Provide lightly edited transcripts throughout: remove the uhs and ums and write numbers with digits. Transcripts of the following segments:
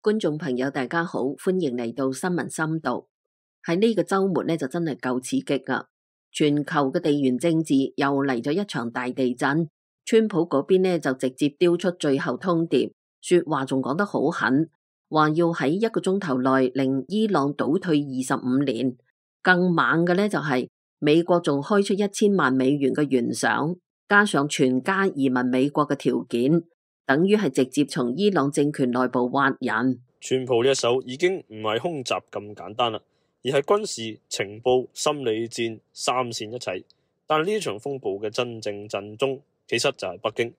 觀眾朋友大家好，歡迎嚟到新聞深度。喺呢個周末呢，就真係夠刺激噶，全球嘅地緣政治又嚟咗一場大地震。川普嗰邊呢，就直接丟出最後通牒，說話仲講得好狠，話要喺1個鐘頭內令伊朗倒退25年。更猛嘅呢，就係美國仲開出1000萬美元嘅懸賞，加上全家移民美國嘅條件。等於係直接從伊朗政權內部挖人。川普呢一手已經唔係空襲咁簡單啦，而係軍事、情報、心理戰三線一齊。但係呢場風暴嘅真正震中，其實就係北京。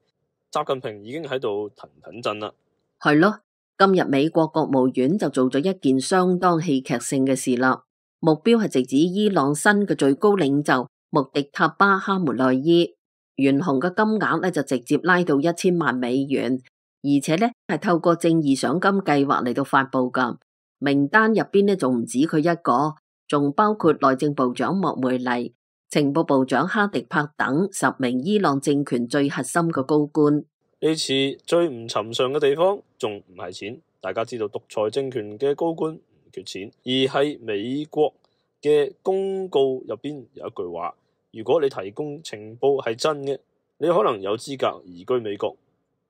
習近平已經喺度騰騰震啦。係咯，今日美國國務院就做咗一件相當戲劇性嘅事啦，目標係直指伊朗新嘅最高領袖穆迪塔巴哈梅內伊。懸紅嘅金額咧就直接拉到1000萬美元，而且咧係透過正義賞金計劃嚟到發佈噶。名單入邊咧仲唔止佢一個，仲包括內政部長莫梅尼、情報部長哈迪柏等10名伊朗政權最核心嘅高官。呢次最唔尋常嘅地方仲唔係錢，大家知道獨裁政權嘅高官唔缺錢，而係美國嘅公告入邊有一句話。如果你提供情報係真嘅，你可能有資格移居美國。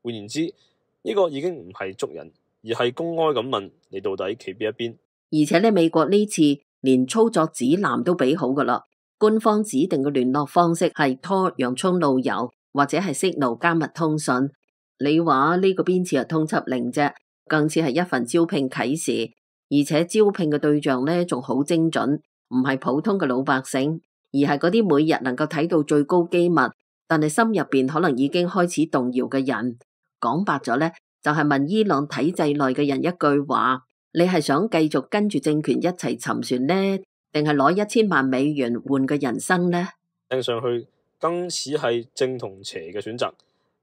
換言之，呢個已經唔係捉人，而係公開咁問你到底企邊一邊。而且咧，美國呢次連操作指南都俾好噶啦，官方指定嘅聯絡方式係 Tor 洋蔥路由或者係 Signal 加密通訊。你話呢個邊似係通緝令啫，更似係一份招聘啟事，而且招聘嘅對象呢仲好精準，唔係普通嘅老百姓。而係嗰啲每日能夠睇到最高機密，但係心入邊可能已經開始動搖嘅人。講白咗呢，就係問伊朗體制內嘅人一句話：你係想繼續跟住政權一齊沉船呢，定係攞1000萬美元換個人生呢？聽上去更似係正同邪嘅選擇，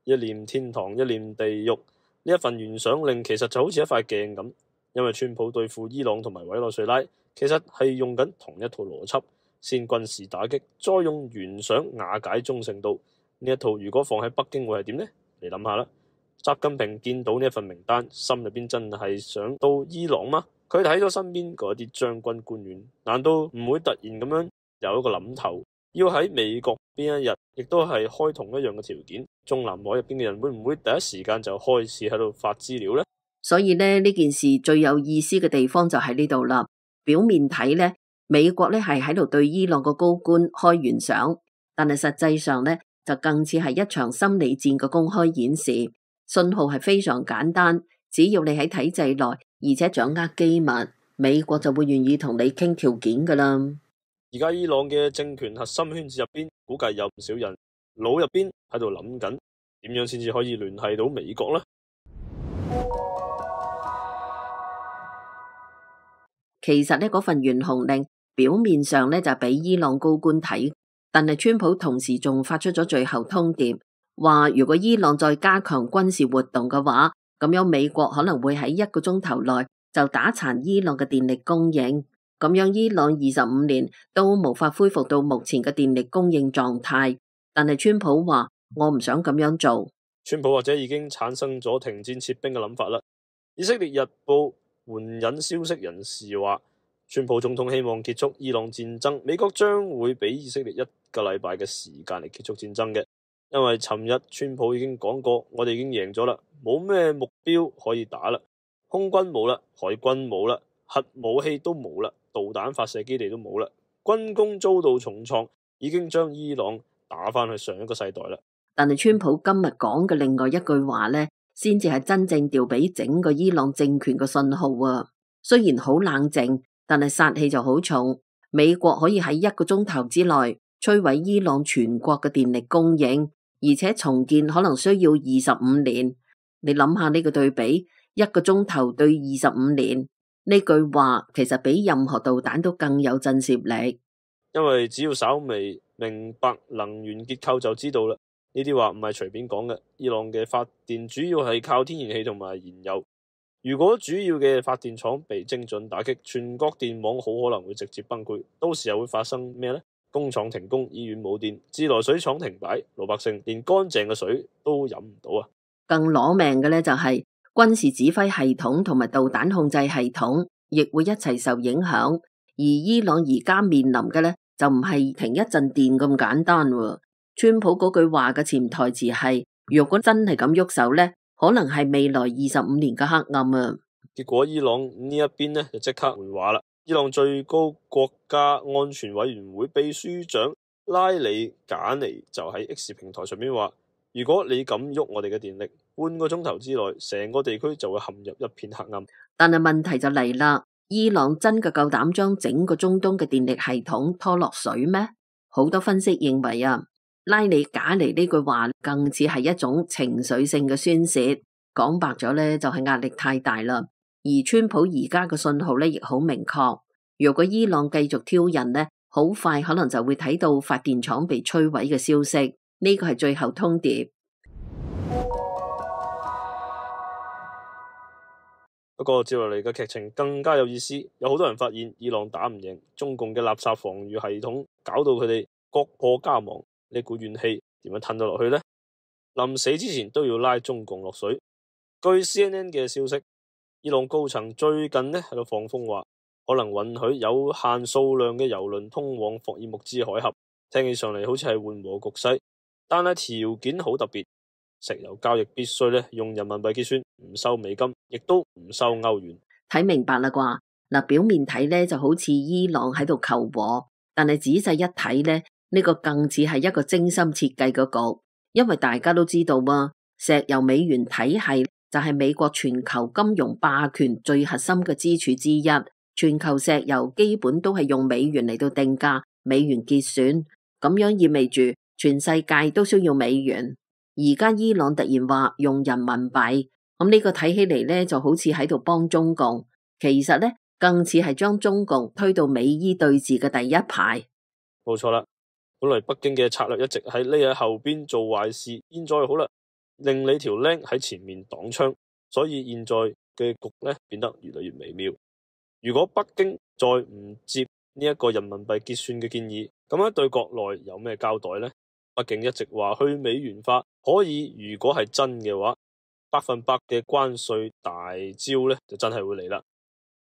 一念天堂，一念地獄。呢一份懸賞令其實就好似一塊鏡咁，因為川普對付伊朗同埋委內瑞拉，其實係用緊同一套邏輯。先軍事打擊，再用懸賞瓦解忠誠度。呢一套如果放喺北京會係點呢？你諗下啦。習近平見到呢一份名單，心入邊真係想到伊朗嗎？佢睇咗身邊嗰啲將軍官員，難道唔會突然咁樣有一個諗頭，要喺美國邊一日，亦都係開同一樣嘅條件？中南海入邊嘅人會唔會第一時間就開始喺度發資料呢？所以呢件事最有意思嘅地方就喺呢度啦。表面睇呢，美國咧係喺度對伊朗個高官開懸賞，但係實際上咧就更似係一場心理戰嘅公開演示。信號係非常簡單，只要你喺體制內，而且掌握機密，美國就會願意同你傾條件噶啦。而家伊朗嘅政權核心圈子入邊，估計有唔少人腦入邊喺度諗緊，點樣先至可以聯繫到美國呢？其實呢嗰份懸紅令，表面上咧就俾伊朗高官睇，但係川普同時仲發出咗最後通牒，話如果伊朗再加強軍事活動嘅話，咁樣美國可能會喺1個鐘頭內就打殘伊朗嘅電力供應，咁樣伊朗25年都無法恢復到目前嘅電力供應狀態。但係川普話我唔想咁樣做。川普或者已經產生咗停戰撤兵嘅諗法啦。以色列日報援引消息人士話，川普總統希望結束伊朗戰爭，美國將會俾以色列1個禮拜嘅時間嚟結束戰爭嘅。因為尋日川普已經講過，我哋已經贏咗啦，冇咩目標可以打啦，空軍冇啦，海軍冇啦，核武器都冇啦，導彈發射基地都冇啦，軍工遭到重創，已經將伊朗打返去上一個世代啦。但係川普今日講嘅另外一句話呢，先至係真正調俾整個伊朗政權嘅信號啊！雖然好冷靜，但係殺氣就好重。美國可以喺1個鐘頭之內摧毀伊朗全國嘅電力供應，而且重建可能需要25年。你諗下呢個對比，1個鐘頭對25年，呢句話其實比任何導彈都更有震懾力。因為只要稍微明白能源結構就知道啦。呢啲話唔係隨便講嘅。伊朗嘅發電主要係靠天然氣同埋燃油。如果主要嘅發電廠被精準打擊，全國電網好可能會直接崩潰。到時又會發生咩呢？工廠停工，醫院冇電，自來水廠停擺，老百姓連乾淨嘅水都飲唔到啊！更攞命嘅呢，就係軍事指揮系統同埋導彈控制系統亦會一齊受影響。而伊朗而家面臨嘅呢，就唔係停一陣電咁簡單喎。川普嗰句話嘅潛台詞係，如果真係咁喐手呢，可能係未來25年嘅黑暗啊！結果伊朗呢一邊呢就即刻回話啦。伊朗最高國家安全委員會秘書長拉里賈尼就喺 X 平台上面話，如果你敢喐我哋嘅電力，半個鐘頭之內，成個地區就會陷入一片黑暗。但係問題就嚟啦，伊朗真嘅夠膽將整個中東嘅電力系統拖落水咩？好多分析認為啊，拉里賈尼呢句話更似係一種情緒性嘅宣洩，講白咗呢，就係壓力太大啦。而川普而家嘅信號呢亦好明確，如果伊朗繼續挑釁呢，好快可能就會睇到發電廠被摧毀嘅消息，呢個係最後通牒。不過接落嚟嘅劇情更加有意思，有好多人發現伊朗打唔贏中共嘅垃圾防禦系統，搞到佢哋國破家亡，呢股怨氣點樣吞到落去呢？臨死之前都要拉中共落水。據 CNN 嘅消息，伊朗高層最近呢喺度放風話，可能允許有限數量嘅油輪通往霍爾木茲海峽，聽起上嚟好似係緩和局勢，但係條件好特別，石油交易必須呢用人民幣結算，唔收美金，亦都唔收歐元。睇明白啦啩？嗱，表面睇呢就好似伊朗喺度求和，但係仔細一睇呢，呢個更似係一個精心設計嘅局，因為大家都知道嘛，石油美元體系就係美國全球金融霸權最核心嘅支柱之一，全球石油基本都係用美元嚟到定價，美元結算，咁樣意味住全世界都需要美元。而家伊朗突然話用人民幣，咁呢個睇起嚟呢就好似喺度幫中共，其實呢更似係將中共推到美伊對峙嘅第一排。冇錯啦，本來北京嘅策略一直係匿喺後邊做壞事，現在好啦，令你條僆喺前面擋槍，所以現在嘅局呢變得越嚟越微妙。如果北京再唔接呢一個人民幣結算嘅建議，咁樣對國內有咩交代呢？北京一直話去美元化可以，如果係真嘅話，100%嘅關稅大招呢就真係會嚟啦。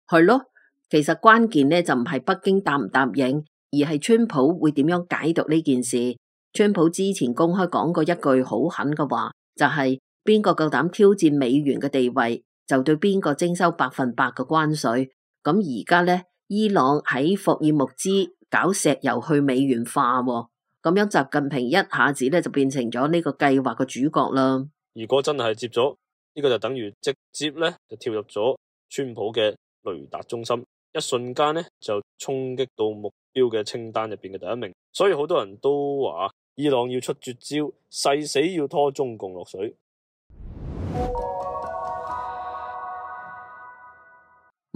係咯，其實關鍵呢就唔係北京答唔答應，而係川普會點樣解讀呢件事。川普之前公開講過一句好狠嘅話，就係邊個夠膽挑戰美元嘅地位，就對邊個徵收100%嘅關稅。咁而家呢，伊朗喺霍爾木茲搞石油去美元化，咁樣習近平一下子呢就變成咗呢個計劃嘅主角啦。如果真係接咗呢個，就等於直接呢就跳入咗川普嘅雷達中心，一瞬間呢就衝擊到目標嘅清單入邊嘅第一名。所以好多人都話伊朗要出絕招，誓死要拖中共落水。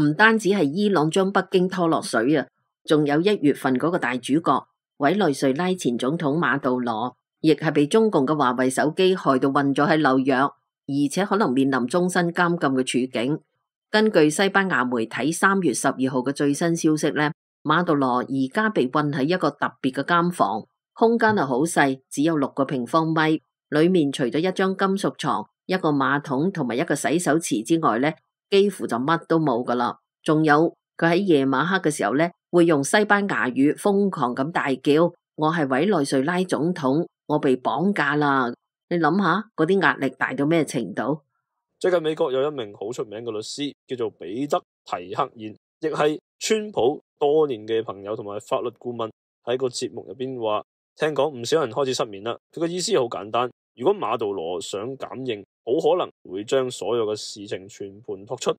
唔單止係伊朗將北京拖落水啊，仲有1月份嗰個大主角委內瑞拉前總統馬杜羅，亦係被中共嘅華為手機害到困咗喺紐約，而且可能面臨終身監禁嘅處境。根據西班牙媒體3月12號嘅最新消息呢，馬杜羅而家被困喺一個特別嘅監房，空間係好細，只有6個平方米，裏面除咗一張金屬床、一個馬桶同埋一個洗手池之外呢，幾乎就乜都冇噶啦。仲有佢喺夜晚黑嘅時候呢，會用西班牙語瘋狂咁大叫：我係委內瑞拉總統，我被綁架啦！你諗下嗰啲壓力大到咩程度？最近美國有一名好出名嘅律師，叫做彼得提克燕，亦係川普多年嘅朋友同埋法律顧問，喺個節目入邊話，聽講唔少人開始失眠啦。佢嘅意思好簡單，如果馬杜羅想減刑，好可能會將所有嘅事情全盤托出。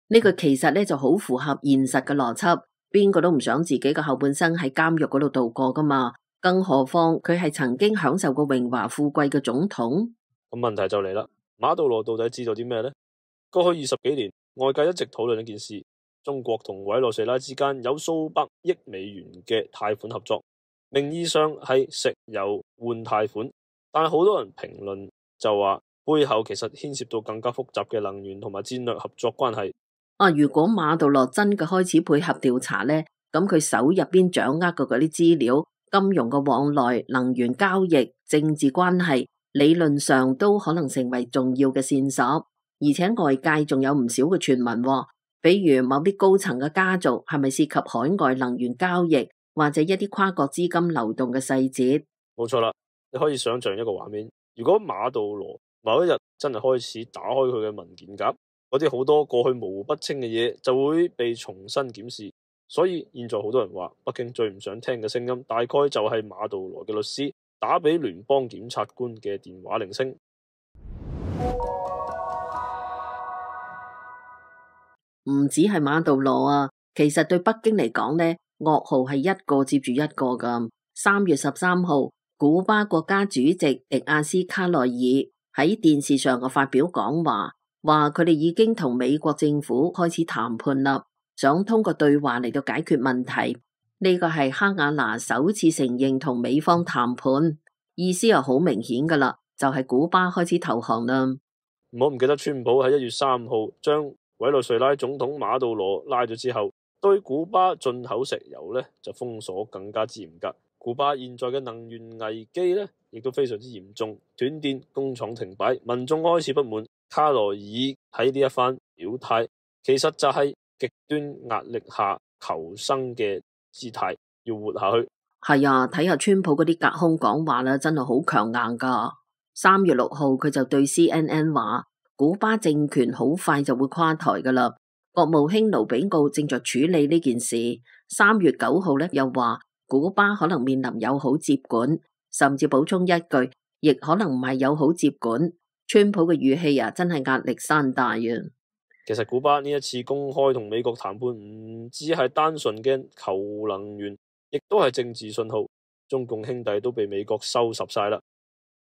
呢個其實呢就好符合現實嘅邏輯，邊個都唔想自己嘅後半生喺監獄嗰度度過噶嘛，更何況佢係曾經享受過榮華富貴嘅總統。咁問題就嚟啦，馬杜羅到底知道啲咩呢？過去20幾年，外界一直討論一件事，中國同委內瑞拉之間有數百億美元嘅貸款合作，名義上係石油換貸款，但係好多人評論就話背後其實牽涉到更加複雜嘅能源同埋戰略合作關係。如果馬杜羅真嘅開始配合調查呢，咁佢手入邊掌握嘅嗰啲資料、金融嘅往來、能源交易、政治關係，理論上都可能成為重要嘅線索。而且外界仲有唔少嘅傳聞喎，比如某啲高層嘅家族係咪涉及海外能源交易，或者一啲跨國資金流動嘅細節。冇錯啦，你可以想象一個畫面，如果馬杜羅某一日真係開始打開佢嘅文件夾，嗰啲好多過去模糊不清嘅嘢就會被重新檢視。所以現在好多人話，北京最唔想聽嘅聲音，大概就係馬杜羅嘅律師打俾聯邦檢察官嘅電話鈴聲。唔止係馬杜羅啊，其實對北京嚟講呢，噩耗係一個接住一個㗎。3月13號，古巴國家主席迪亞斯卡內爾喺電視上嘅發表講話，話佢哋已經同美國政府開始談判啦，想通過對話嚟到解決問題。呢個係哈瓦那首次承認同美方談判，意思又好明顯㗎啦，就係古巴開始投降啦。唔好唔記得，川普喺1月3號將委內瑞拉總統馬杜羅拉咗之後，對古巴進口石油呢就封鎖更加之嚴格。古巴現在嘅能源危機呢亦都非常之嚴重，斷電、工廠停擺，民眾開始不滿。卡內爾喺呢一番表態，其實就係極端壓力下求生嘅姿態，要活下去。係啊，睇下川普嗰啲隔空講話啦，真係好強硬㗎。3月6號佢就對 CNN 話，古巴政權好快就會垮台㗎啦。國務卿盧比奧正在處理呢件事。3月9號呢又話，古巴可能面臨友好接管，甚至補充一句，亦可能唔係友好接管。川普嘅語氣啊，真係壓力山大啊！其實古巴呢一次公開同美國談判，唔只係單純嘅求能源，亦都係政治信號。中共兄弟都被美國收拾晒啦，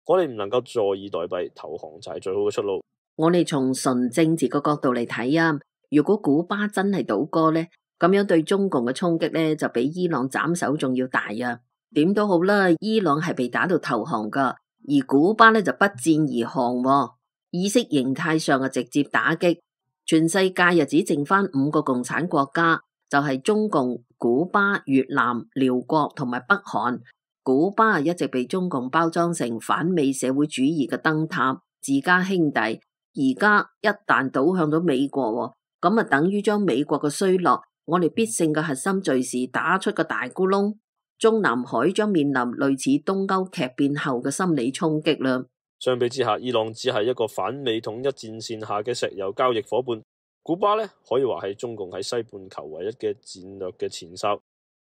我哋唔能夠坐以待斃，投降就係最好嘅出路。我哋從純政治個角度嚟睇啊，如果古巴真係倒戈呢，咁樣對中共嘅衝擊呢，就比伊朗斬首仲要大啊！點都好啦，伊朗係被打到投降噶，而古巴呢就不戰而降喎，意識形態上嘅直接打擊。全世界又只剩翻5個共產國家，就係中共、古巴、越南、寮國同埋北韓。古巴一直被中共包裝成反美社會主義嘅燈塔、自家兄弟，而家一旦倒向咗美國，咁啊等於將美國嘅衰落，我哋必勝嘅核心敘事打出個大咕窿，中南海將面臨類似東歐劇變後嘅心理衝擊啦。相比之下，伊朗只係一個反美統一戰線下嘅石油交易伙伴，古巴呢可以話係中共喺西半球唯一嘅戰略嘅前哨。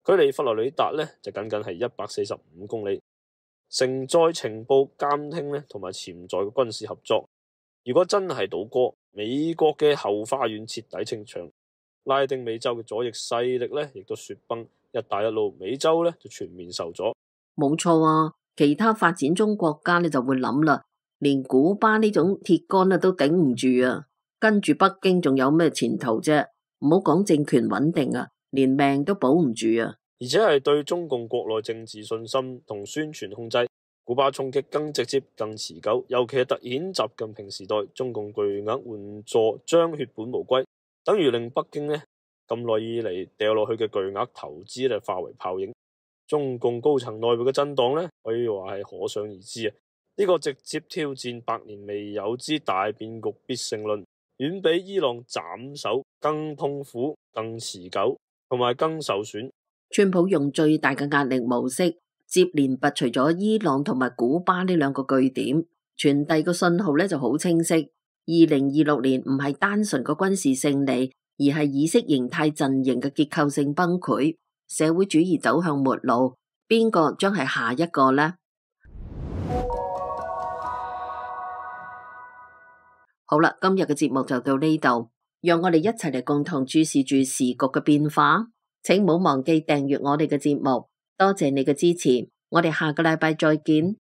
距離佛羅里達呢就僅僅係145公里，承載情報監聽呢同埋潛在嘅軍事合作。如果真係倒戈，美國嘅後花園徹底清場，拉丁美洲嘅左翼勢力呢亦都雪崩，一帶一路美洲呢就全面受阻。冇錯啊，其他發展中國家呢就會諗啦，連古巴呢種鐵桿啊都頂唔住啊，跟住北京仲有咩前途啫？唔好講政權穩定啊，連命都保唔住啊！而且係對中共國內政治信心同宣傳控制，古巴衝擊更直接、更持久。尤其係突顯習近平時代中共巨額援助將血本無歸，等於令北京呢咁耐以嚟掉落去嘅巨額投資呢化為泡影。中共高層內部嘅震盪呢，可以話係可想而知啊！呢個直接挑戰百年未有之大變局必勝論，遠比伊朗斬首更痛苦、更持久同埋更受損。川普用最大嘅壓力模式，接連拔除咗伊朗同埋古巴呢兩個據點，傳遞個信號呢就好清晰。2026年唔係單純個軍事勝利，而係意識形態陣營嘅結構性崩潰，社會主義走向末路。邊個將係下一個呢？好啦，今日嘅節目就到呢度，讓我哋一齊嚟共同注視住時局嘅變化。請唔好忘記訂閱我哋嘅節目，多謝你嘅支持，我哋下個禮拜再見。